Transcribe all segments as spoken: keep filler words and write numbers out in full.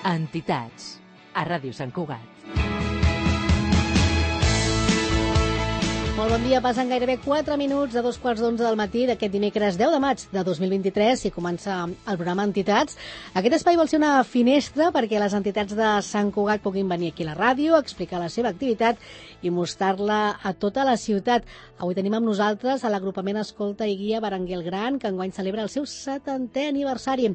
Entitats, a Ràdio Sant Cugat. Molt bon dia, passen gairebé quatre minuts de dos quarts d'onze del matí d'aquest dimecres deu de maig de dos mil vint-i-tres i comença el programa Entitats. Aquest espai vol ser una finestra perquè les entitats de Sant Cugat puguin venir aquí a la ràdio, explicar la seva activitat i mostrar-la a tota la ciutat. Avui tenim amb nosaltres a l'agrupament Escolta i Guia Berenguer el Gran, que enguany celebra el seu setantè aniversari.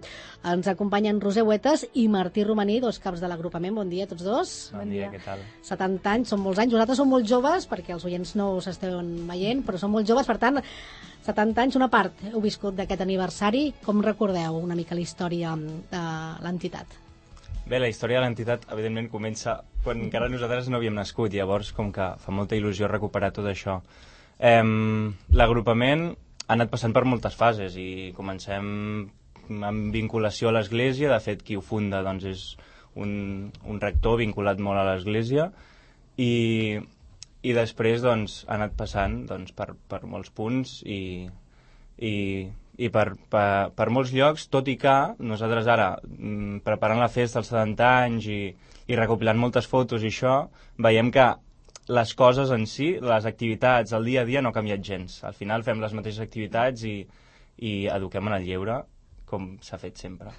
Ens acompanyen Roser Huetas i Martí Romaní, dos caps de l'agrupament. Bon dia a tots dos. Bon dia, què tal? setanta anys, són molts anys. Vosaltres sou molt joves, perquè els oients no us esteu veient, però són molt joves, per tant, setanta anys, una part heu viscut d'aquest aniversari. Com recordeu una mica la història de l'entitat? Bé, la història de l'entitat, evidentment, comença quan encara nosaltres no havíem nascut, llavors com que fa molta il·lusió recuperar tot això. Eh, L'agrupament ha anat passant per moltes fases i comencem amb vinculació a l'Església. De fet, qui ho funda doncs, és un, un rector vinculat molt a l'Església i, i després doncs, ha anat passant doncs, per, per molts punts i, i, i per, per, per molts llocs, tot i que nosaltres ara, preparant la festa als setanta anys i, i recopilant moltes fotos i això, veiem que les coses en si, les activitats, el dia a dia no ha canviat gens. Al final fem les mateixes activitats i, i eduquem en el lleure, com s'ha fet sempre.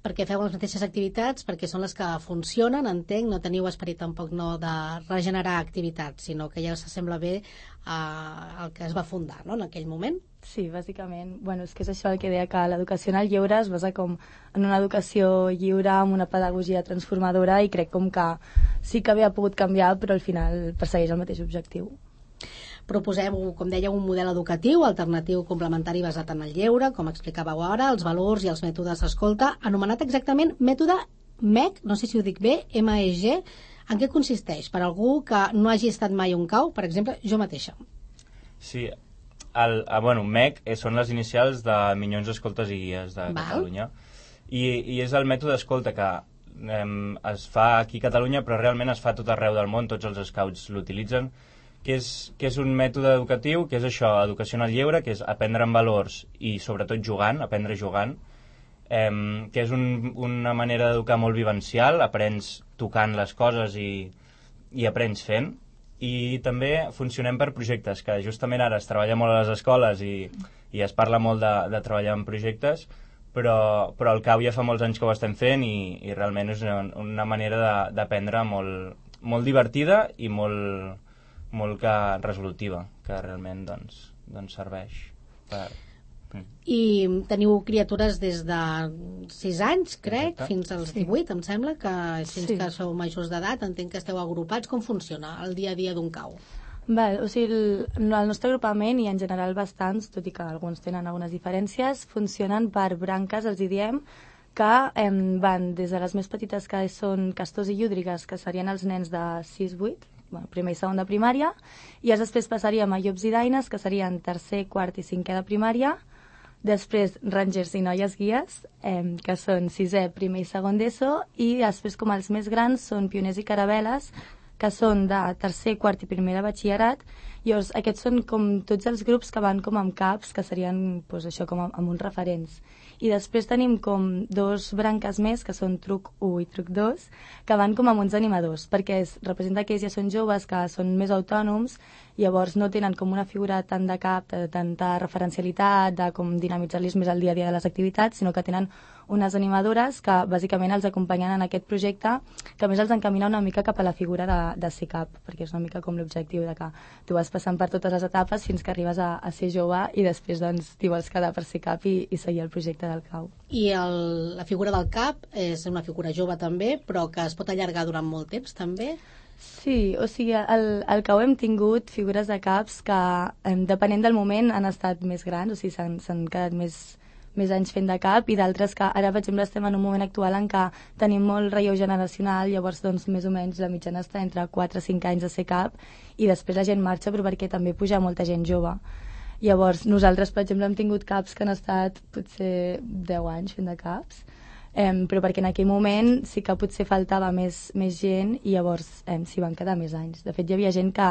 Perquè feu les mateixes activitats, perquè són les que funcionen, entenc, no teniu esperit tampoc no de regenerar activitats, sinó que ja s'assembla bé al que es va fundar, no?, en aquell moment. Sí, bàsicament. Bueno, és que és això el que deia, que l'educació en el lleure es basa com en una educació lliure, amb una pedagogia transformadora, i crec com que sí que havia pogut canviar, però al final persegueix el mateix objectiu. Proposeu, com dèieu, un model educatiu alternatiu complementari basat en el lleure, com explicàveu ara, els valors i els mètodes d'escolta, anomenat exactament mètode M E G, no sé si ho dic bé, M E G. En què consisteix? Per algú que no hagi estat mai a un cau, per exemple, jo mateixa. Sí, el, el, bueno, M E G són les inicials de Minyons Escoltes i Guies de Val. Catalunya, i, i és el mètode d'escolta que eh, es fa aquí a Catalunya, però realment es fa a tot arreu del món, tots els scouts l'utilitzen, que és, que és un mètode educatiu, que és això, educació en el lleure, que és aprendre en valors i sobretot jugant, aprendre jugant, eh, que és un, una manera d'educar molt vivencial, aprens tocant les coses i, i aprens fent, i també funcionem per projectes, que justament ara es treballa molt a les escoles i, i es parla molt de, de treballar en projectes, però, però al CAU ja fa molts anys que ho estem fent i, i realment és una, una manera d'aprendre molt, molt divertida i molt molt que resolutiva, que realment doncs, doncs serveix per... I teniu criatures des de sis anys, crec, Exacte. Fins als Sí. divuit, em sembla, que fins Sí. que sou majors d'edat, entenc que esteu agrupats. Com funciona el dia a dia d'un cau? Val, o sigui, el, el nostre agrupament, i en general bastants, tot i que alguns tenen algunes diferències, funcionen per branques, els hi diem, que eh, van des de les més petites, que són castors i llúdrigues, que serien els nens de sis vuit, bueno, primer i segon de primària, i després passaríem a llops i daines, que serien tercer, quart i cinquè de primària, després rangers i noies guies, eh, que són sisè, primer i segon d'ESO, i després, com els més grans, són pioners i caravel·les, que són de tercer, quart i primer de batxillerat. Llavors, aquests són com tots els grups que van com amb caps, que serien doncs, això, com amb, amb uns referents. I després tenim com dos branques més, que són truc u i truc dos, que van com amb uns animadors, perquè es representa que ells ja són joves, que són més autònoms, llavors no tenen com una figura tant de cap, de tanta referencialitat, de com dinamitzar-los més el dia a dia de les activitats, sinó que tenen unes animadores que bàsicament els acompanyen en aquest projecte, que a més els encamina una mica cap a la figura de, de ser cap, perquè és una mica com l'objectiu de que tu vas passant per totes les etapes fins que arribes a, a ser jove i després doncs t'hi vols quedar per ser cap i, i seguir el projecte del cau. I el, la figura del cap és una figura jove també, però que es pot allargar durant molt temps també? Sí, o sigui, al, al cau hem tingut figures de caps que, eh, depenent del moment, han estat més grans, o sigui, s'han quedat més, més anys fent de cap, i d'altres que ara, per exemple, estem en un moment actual en què tenim molt relleu generacional, llavors, doncs, més o menys la mitjana està entre quatre a cinc anys de ser cap, i després la gent marxa, però perquè també puja molta gent jove. Llavors, nosaltres, per exemple, hem tingut caps que han estat potser deu anys fent de caps, Um, però perquè en aquell moment sí que potser faltava més, més gent i llavors um, s'hi van quedar més anys. De fet, hi havia gent que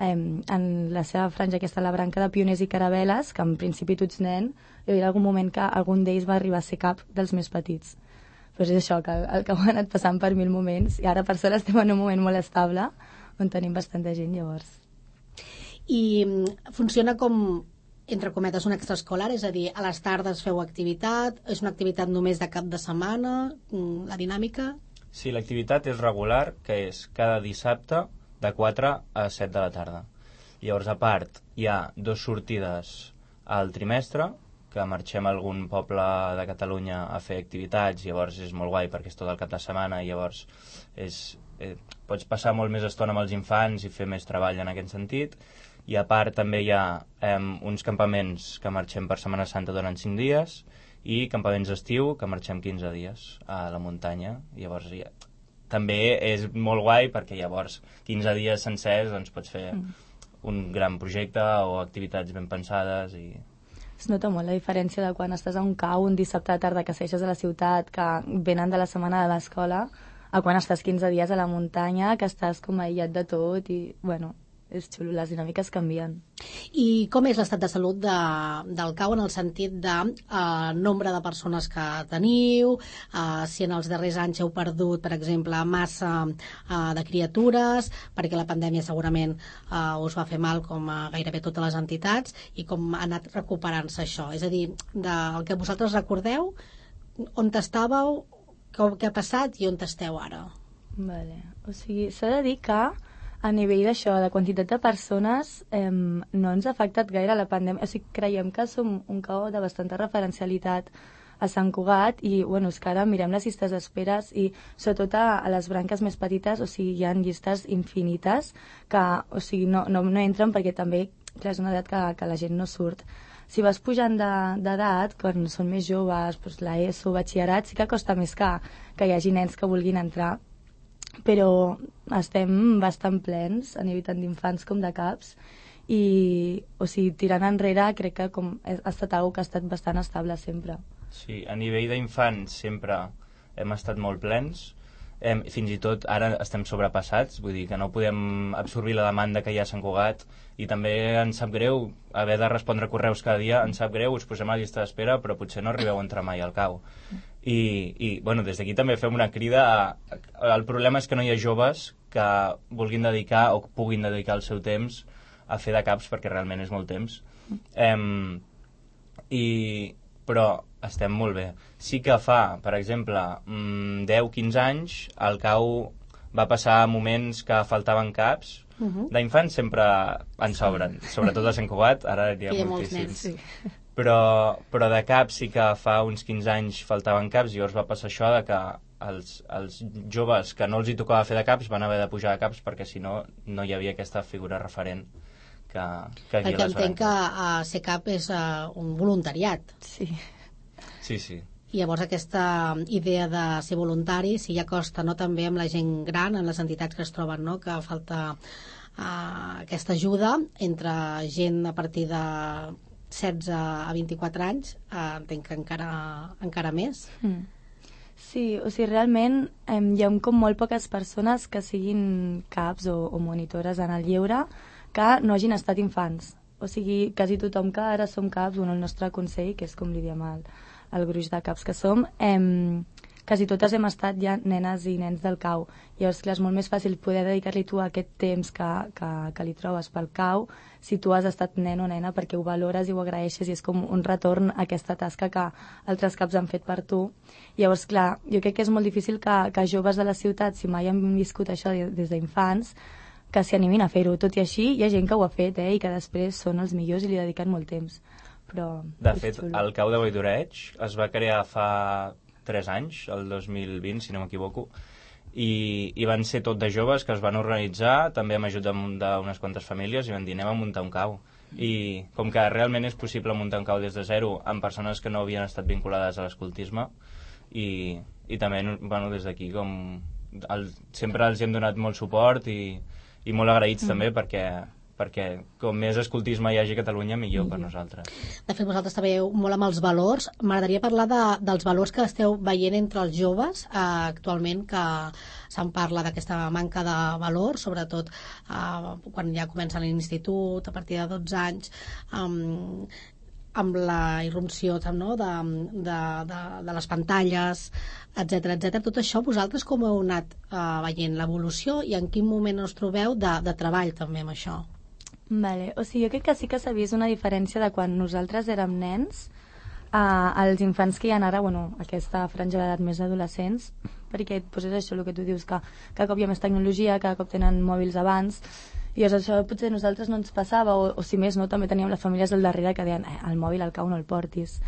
um, en la seva franja, aquesta, la branca de pioners i caravel·les, que en principi tu ets nen, hi havia algun moment que algun d'ells va arribar a ser cap dels més petits. pues és això, que el, el Cau ha anat passant per mil moments i ara per sort estem en un moment molt estable on tenim bastanta gent, llavors. I funciona com, entre cometes, un extraescolar, és a dir, a les tardes feu activitat, és una activitat només de cap de setmana, la dinàmica? Sí, l'activitat és regular, que és cada dissabte de quatre a set de la tarda. Llavors, a part, hi ha dues sortides al trimestre, que marxem a algun poble de Catalunya a fer activitats, llavors és molt guai perquè és tot el cap de setmana, llavors és, eh, pots passar molt més estona amb els infants i fer més treball en aquest sentit. I a part també hi ha eh, uns campaments que marxem per Setmana Santa durant cinc dies i campaments d'estiu que marxem quinze dies a la muntanya. Llavors ja, també és molt guai perquè llavors quinze dies sencers doncs, pots fer mm. un gran projecte o activitats ben pensades i... Es nota molt la diferència de quan estàs a un cau un dissabte de tarda que segueixes a la ciutat, que venen de la setmana de l'escola, a quan estàs quinze dies a la muntanya, que estàs com aïllat de tot i, bueno, és xulo, les dinàmiques canvien. I com és l'estat de salut de, del cau en el sentit de eh, nombre de persones que teniu, eh, si en els darrers anys heu perdut, per exemple, massa eh, de criatures, perquè la pandèmia segurament eh, us va fer mal com a gairebé totes les entitats, i com ha anat recuperant-se això. És a dir, del que vosaltres recordeu, on estàveu, què ha passat i on esteu ara? Vale. O sigui, s'ha de dir que a nivell d'això, de quantitat de persones, eh, no ens ha afectat gaire la pandèmia. O sigui, creiem que som un cau de bastanta referencialitat a Sant Cugat i, bueno, és que ara mirem les llistes d'esperes i, sobretot a, a les branques més petites, o sigui, hi ha llistes infinites que, o sigui, no, no, no entren perquè també, clar, és una edat que, que la gent no surt. Si vas pujant d'edat, de, quan són més joves, doncs l'ESO, batxillerat, sí que costa més que, que hi hagi nens que vulguin entrar, però estem bastant plens a nivell tant d'infants com de caps i, o sigui, tirant enrere crec que com, ha estat algo que ha estat bastant estable sempre. Sí, a nivell d'infants sempre hem estat molt plens, hem, fins i tot ara estem sobrepassats, vull dir que no podem absorbir la demanda que hi ha a Sant Cugat i també ens sap greu haver de respondre correus cada dia, ens sap greu, us posem a la llista d'espera però potser no arribeu a entrar mai al cau. I, i bueno, des d'aquí també fem una crida a, a, el problema és que no hi ha joves que vulguin dedicar o puguin dedicar el seu temps a fer de caps perquè realment és molt temps um, i, però estem molt bé. Sí que fa, per exemple, deu quinze anys el cau va passar moments que faltaven caps. Uh-huh. D'infants sempre en sobren, sobretot a Sant Cugat, ara hi ha moltíssims. Sí. Però, però de caps sí que fa uns quinze anys faltaven caps i llavors va passar això de que els, els joves que no els hi tocava fer de caps van haver de pujar de caps perquè si no, no hi havia aquesta figura referent que, que aquí perquè entenc que uh, ser cap és uh, un voluntariat. Sí. Sí, sí. I llavors aquesta idea de ser voluntari sí ja costa, no?, també amb la gent gran, en les entitats que es troben, no?, que falta uh, aquesta ajuda entre gent a partir de setze a vint-i-quatre anys, uh, entenc que encara, encara més. Mm. Sí, o sigui, realment eh, hi ha com molt poques persones que siguin caps o, o monitores en el lleure que no hagin estat infants. O sigui, quasi tothom que ara som caps, bueno, el nostre consell, que és com li diem el, el gruix de caps que som, eh, quasi totes hem estat ja nenes i nens del cau. Llavors, clar, és molt més fàcil poder dedicar-li tu aquest temps que, que, que li trobes pel cau si tu has estat nen o nena perquè ho valores i ho agraeixes i és com un retorn a aquesta tasca que altres caps han fet per tu. Llavors, clar, jo crec que és molt difícil que, que joves de la ciutat, si mai han viscut això des d'infants, que s'hi animin a fer-ho. Tot i així, hi ha gent que ho ha fet, eh, i que després són els millors i li dediquen molt temps. Però de fet, xulo. El cau de Valldoreig es va crear fa tres anys, el dos mil vint, si no m'equivoco, i, i van ser tot de joves que es van organitzar, també amb ajuda d'unes quantes famílies, i van dir, anem a muntar un cau. I com que realment és possible muntar un cau des de zero amb persones que no havien estat vinculades a l'escoltisme, i, i també, bueno, des d'aquí, com el, sempre els hem donat molt suport i, i molt agraïts mm. també perquè... perquè com més escoltisme hi hagi a Catalunya, millor per nosaltres. De fet, vosaltres treballeu molt amb els valors. M'agradaria parlar de, dels valors que esteu veient entre els joves eh, actualment, que se'n parla d'aquesta manca de valors, sobretot eh, quan ja comencen l'institut, a partir de dotze anys. Um, amb la irrupció no? de, de, de, de les pantalles, etcètera, etcètera. Tot això vosaltres com heu anat eh, veient l'evolució i en quin moment us trobeu de, de treball també amb això? Vale. O sigui, jo crec que sí que s'ha vist una diferència de quan nosaltres érem nens a, als infants que hi ha ara, bueno, aquesta franja d'edat més adolescents, perquè doncs és això el que tu dius, que cada cop hi ha més tecnologia, cada cop tenen mòbils abans, i llavors això potser a nosaltres no ens passava, o, o si més no, també teníem les famílies del darrere que deien, eh, el mòbil al cau no el portis.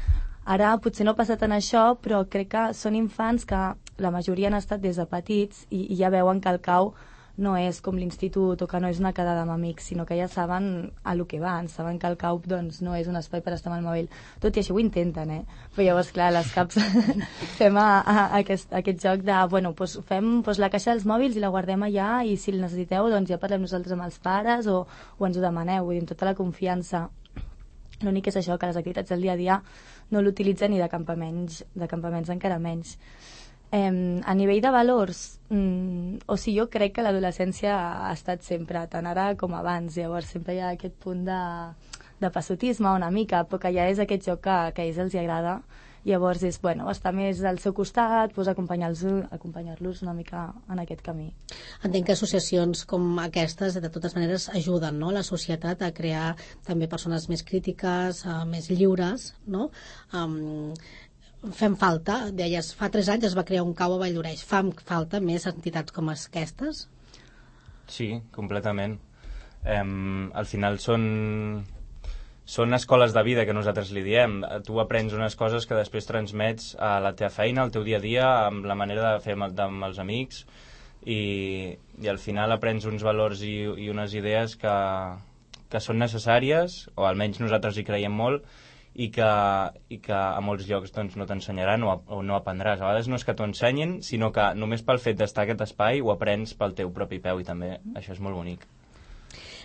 Ara potser no passa tant això, però crec que són infants que la majoria han estat des de petits i, i ja veuen que el cau no és com l'institut o que no és una quedada amb amics, sinó que ja saben a lo que van, saben que el C A U P doncs, no és un espai per estar amb el mòbil. Tot i així ho intenten, eh? Però llavors, clar, les caps fem a, a, a aquest, a aquest joc de, bueno, doncs fem doncs, la caixa dels mòbils i la guardem allà i si el necessiteu, doncs ja parlem nosaltres amb els pares o, o ens ho demaneu, vull dir, amb tota la confiança. L'únic és això, que les activitats del dia a dia no l'utilitzen ni de campaments, de campaments encara menys. Eh, a nivell de valors, mm, o sigui, jo crec que l'adolescència ha estat sempre, tant ara com abans, llavors sempre hi ha aquest punt de, de passotisme una mica, però que ja és aquest joc que, que a ells els agrada, llavors és, bueno, estar més al seu costat, doncs acompanyar-los acompanyar-los una mica en aquest camí. Entenc que associacions com aquestes, de totes maneres, ajuden, no?, la societat a crear també persones més crítiques, uh, més lliures, no?, um, fem falta, deies, fa tres anys es va crear un cau a Valldoreix, fan falta més entitats com aquestes? Sí, completament. Um, al final són, són escoles de vida que nosaltres li diem. Tu aprens unes coses que després transmets a la teva feina, al teu dia a dia, amb la manera de fer amb, amb els amics, i, i al final aprens uns valors i, i unes idees que, que són necessàries, o almenys nosaltres hi creiem molt, i que, i que a molts llocs doncs, no t'ensenyaran o, o no aprendràs. A vegades no és que t'ho ensenyin, sinó que només pel fet d'estar a aquest espai ho aprens pel teu propi peu i també això és molt bonic.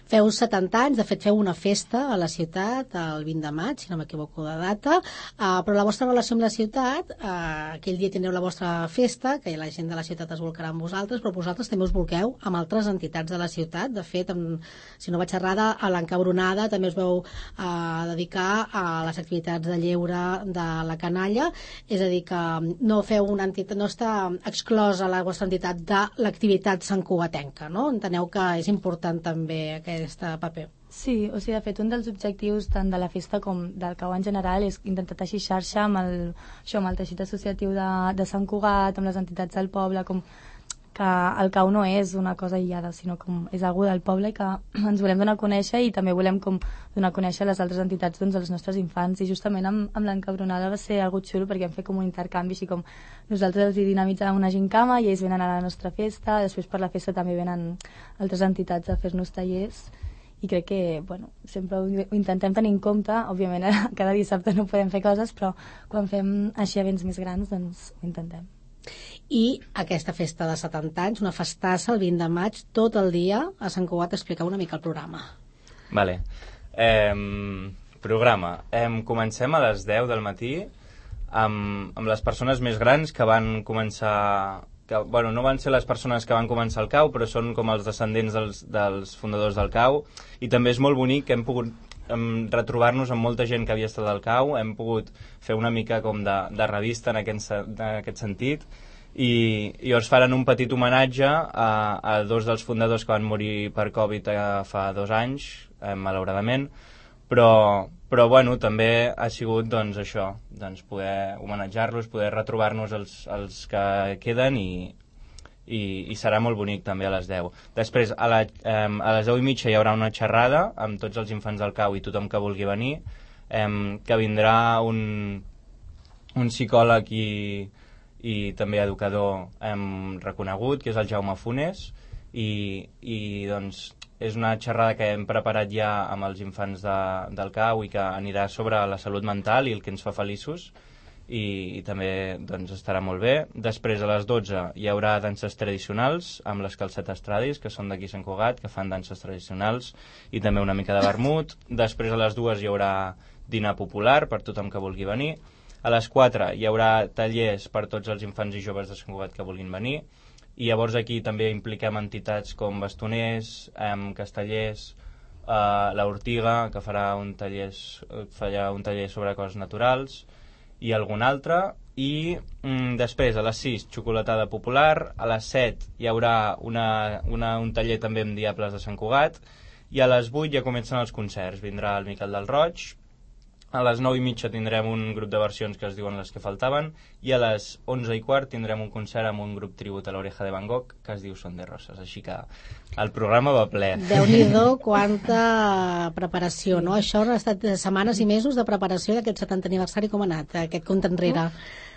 Feu setanta anys, de fet feu una festa a la ciutat el vint de maig, si no m'equivoco de data, uh, però la vostra relació amb la ciutat, uh, aquell dia tindreu la vostra festa, que la gent de la ciutat es volcarà amb vosaltres, però vosaltres també us volqueu amb altres entitats de la ciutat. De fet, amb, si no vaig errada, a l'Encabronada també us veu uh, dedicar a les activitats de lleure de la canalla, és a dir, que no feu una entitat, no està exclosa la vostra entitat de l'activitat santcugatenca, no? Enteneu que és important també aquest paper. Sí, o sigui, de fet, un dels objectius tant de la festa com del C A U en general és intentar teixir xarxa amb el, això, amb el teixit associatiu de, de Sant Cugat, amb les entitats del poble, com que el C A U no és una cosa aïllada, sinó com és algú del poble i que ens volem donar a conèixer i també volem com donar a conèixer les altres entitats doncs, dels nostres infants. I justament amb, amb l'Encabronada va ser algo xulo perquè hem fet com un intercanvi, així com nosaltres els hi dinamitzàvem una gincama i ells venen a la nostra festa, després per la festa també venen altres entitats a fer-nos tallers i crec que, bueno, sempre ho, ho intentem tenir en compte. Òbviament cada dissabte no podem fer coses, però quan fem així events més grans doncs ho intentem. I aquesta festa de setanta anys, una festassa el vint de maig, tot el dia a Sant Cugat, explicar una mica el programa. Vale. Eh, programa. Eh, comencem a les deu del matí amb, amb les persones més grans que van començar... Que, bueno, no van ser les persones que van començar el C A U, però són com els descendents dels, dels fundadors del C A U, i també és molt bonic que hem pogut em, retrobar-nos amb molta gent que havia estat al C A U, hem pogut fer una mica com de, de revista en aquest, en aquest sentit, i, i llavors faran un petit homenatge a, a dos dels fundadors que van morir per Covid eh, fa dos anys, eh, malauradament, però, però bueno, també ha sigut doncs, això, doncs, poder homenatjar-los, poder retrobar-nos els, els que queden i, i, i serà molt bonic també a les deu. Després, a, la, eh, a les deu i mitja hi haurà una xerrada amb tots els infants del C A U i tothom que vulgui venir, eh, que vindrà un, un psicòleg i, i també educador eh, reconegut, que és el Jaume Funes, i, i doncs és una xerrada que hem preparat ja amb els infants de, del C A U i que anirà sobre la salut mental i el que ens fa feliços, i, i també doncs, estarà molt bé. Després a les dotze hi haurà danses tradicionals amb les calcetes tradis, que són d'aquí Sant Cugat, que fan danses tradicionals, i també una mica de vermut. Després a les dues hi haurà dinar popular per tothom que vulgui venir. A les quatre hi haurà tallers per tots els infants i joves de Sant Cugat que vulguin venir, i llavors aquí també impliquem entitats com bastoners, eh, castellers, uh, l'Ortiga, que farà un taller, farà un taller sobre coses naturals, i algun altre, i mm, després a les sis xocolatada popular, a les set hi haurà una, una, un taller també amb Diables de Sant Cugat, i a les vuit ja comencen els concerts. Vindrà el Miquel del Roig, a les nou i mitja tindrem un grup de versions que es diuen Les que faltaven, i a les onze i quart tindrem un concert amb un grup tribut a l'Oreja de Van Gogh que es diu Son de Roses, així que el programa va ple. Déu-n'hi-do, quanta preparació, no? Això han estat setmanes i mesos de preparació d'aquest setantè aniversari. Com ha anat aquest compte enrere?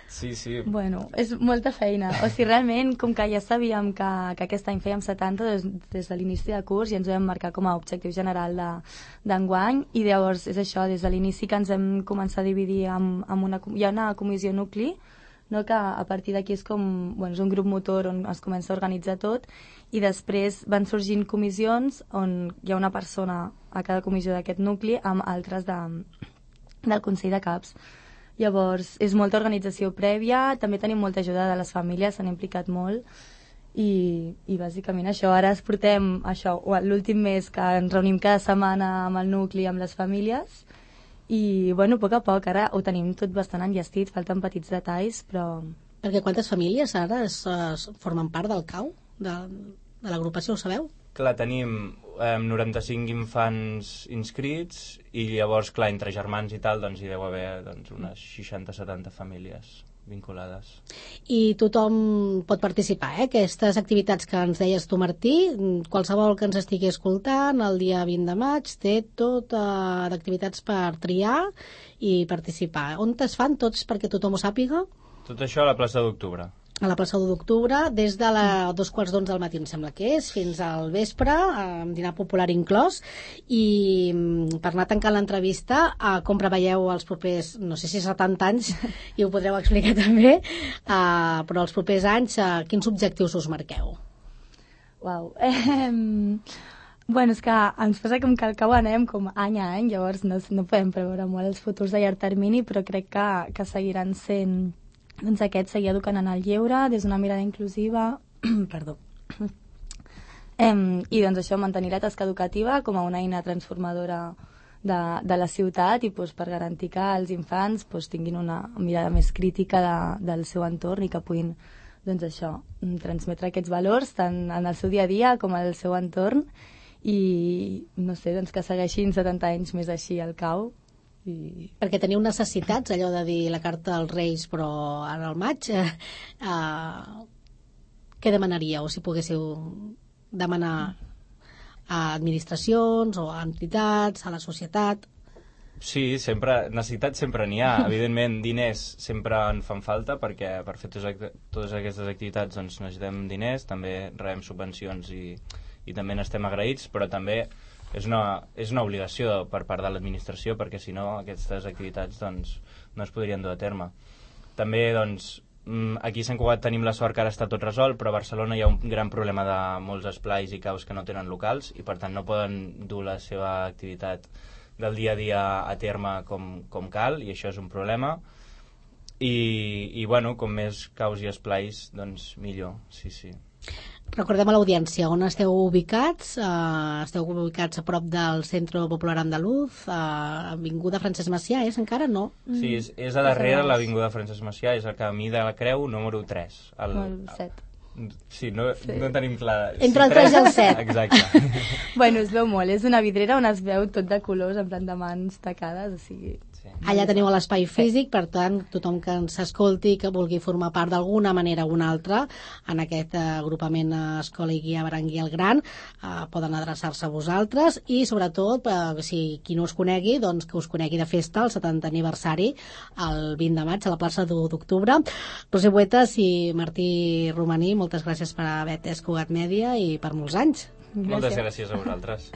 Sí, sí. Bueno, és molta feina. O sigui, realment, com que ja sabíem que, que aquest any fèiem setanta des, des de l'inici de curs, i ens ho vam marcar com a objectiu general d'enguany, i llavors és això, des de l'inici que ens hem començat a dividir amb, amb una, hi ha una comissió nucli, no, que a partir d'aquí és com, bueno, és un grup motor on es comença a organitzar tot, i després van sorgint comissions on hi ha una persona a cada comissió d'aquest nucli amb altres de, del Consell de Caps. Llavors, és molta organització prèvia, també tenim molta ajuda de les famílies, s'han implicat molt, i, i bàsicament això, ara es portem això, l'últim mes que ens reunim cada setmana amb el nucli, amb les famílies, i bueno, a poc a poc, ara ho tenim tot bastant enllestit, falten petits detalls, però... Perquè quantes famílies ara es, es formen part del C A U, de, de l'agrupació, ho sabeu? Clar, tenim eh, noranta-cinc infants inscrits, i llavors, clar, entre germans i tal, doncs hi deu haver doncs, unes seixanta setanta famílies vinculades. I tothom pot participar, eh? Aquestes activitats que ens deies tu, Martí, qualsevol que ens estigui escoltant, el dia vint de maig té tot eh, d'activitats per triar i participar. On es fan tots perquè tothom ho sàpiga? Tot això a la plaça d'Octubre. A la plaça d'Octubre, des de la dos quarts d'onze del matí, em sembla que és, fins al vespre, amb dinar popular inclòs, i per anar tancant l'entrevista, a com preveieu els propers, no sé si setanta anys, i ho podreu explicar també, uh, però els propers anys, uh, quins objectius us marqueu? Uau. Eh, bueno, és que ens passa com que al cabo anem com any a any, llavors no, no podem preveure molt els futurs a llarg termini, però crec que, que seguiran sent... Doncs aquest, seguir educant en el lleure des d'una mirada inclusiva, perdó, em, i doncs això, mantenir la tasca educativa com a una eina transformadora de, de la ciutat i doncs, per garantir que els infants doncs, tinguin una mirada més crítica de, del seu entorn i que puguin doncs, això, transmetre aquests valors tant en el seu dia a dia com al seu entorn, i no sé, doncs, que segueixin setanta anys més així al C A U. I... Perquè teniu necessitats, allò de dir la carta als Reis, però ara al maig, eh, eh, què demanaríeu si poguéssiu demanar a administracions o a entitats, a la societat? Sí, sempre, necessitats sempre n'hi ha. Evidentment, diners sempre en fan falta, perquè per fer totes, totes aquestes activitats doncs, necessitem diners, també rebem subvencions i, i també n'estem agraïts, però també és una, és una obligació per part de l'administració, perquè si no aquestes activitats doncs, no es podrien dur a terme. També doncs, aquí a Sant Cugat tenim la sort que ara està tot resolt, però a Barcelona hi ha un gran problema de molts esplais i caus que no tenen locals i per tant no poden dur la seva activitat del dia a dia a terme com, com cal, i això és un problema. I, i bueno, com més caus i esplais, doncs millor, sí, sí. Recordem a l'audiència on esteu ubicats. Uh, esteu ubicats a prop del Centre Popular Andaluz, uh, Avinguda Francesc Macià, és encara? No? Sí, és, és a darrere l'Avinguda Francesc Macià, és el camí de la Creu número tres. El, el set. Sí, no, sí. no tenim clar... Entre el tres i el set. Exacte. Bueno, es veu molt, és una vidrera on es veu tot de colors, en plan de mans tacades, o sigui... Sí. Allà teniu l'espai físic, per tant, tothom que ens escolti, que vulgui formar part d'alguna manera o una altra en aquest agrupament Escola i Guia Berenguer el Gran, eh, poden adreçar-se a vosaltres i, sobretot, eh, si qui no us conegui, doncs que us conegui de festa el setantè aniversari el vint de maig a la plaça d'Octubre. Roser Buetas i Martí Romaní, moltes gràcies per haver atès Cugat Mèdia i per molts anys. Gràcies. Moltes gràcies a vosaltres.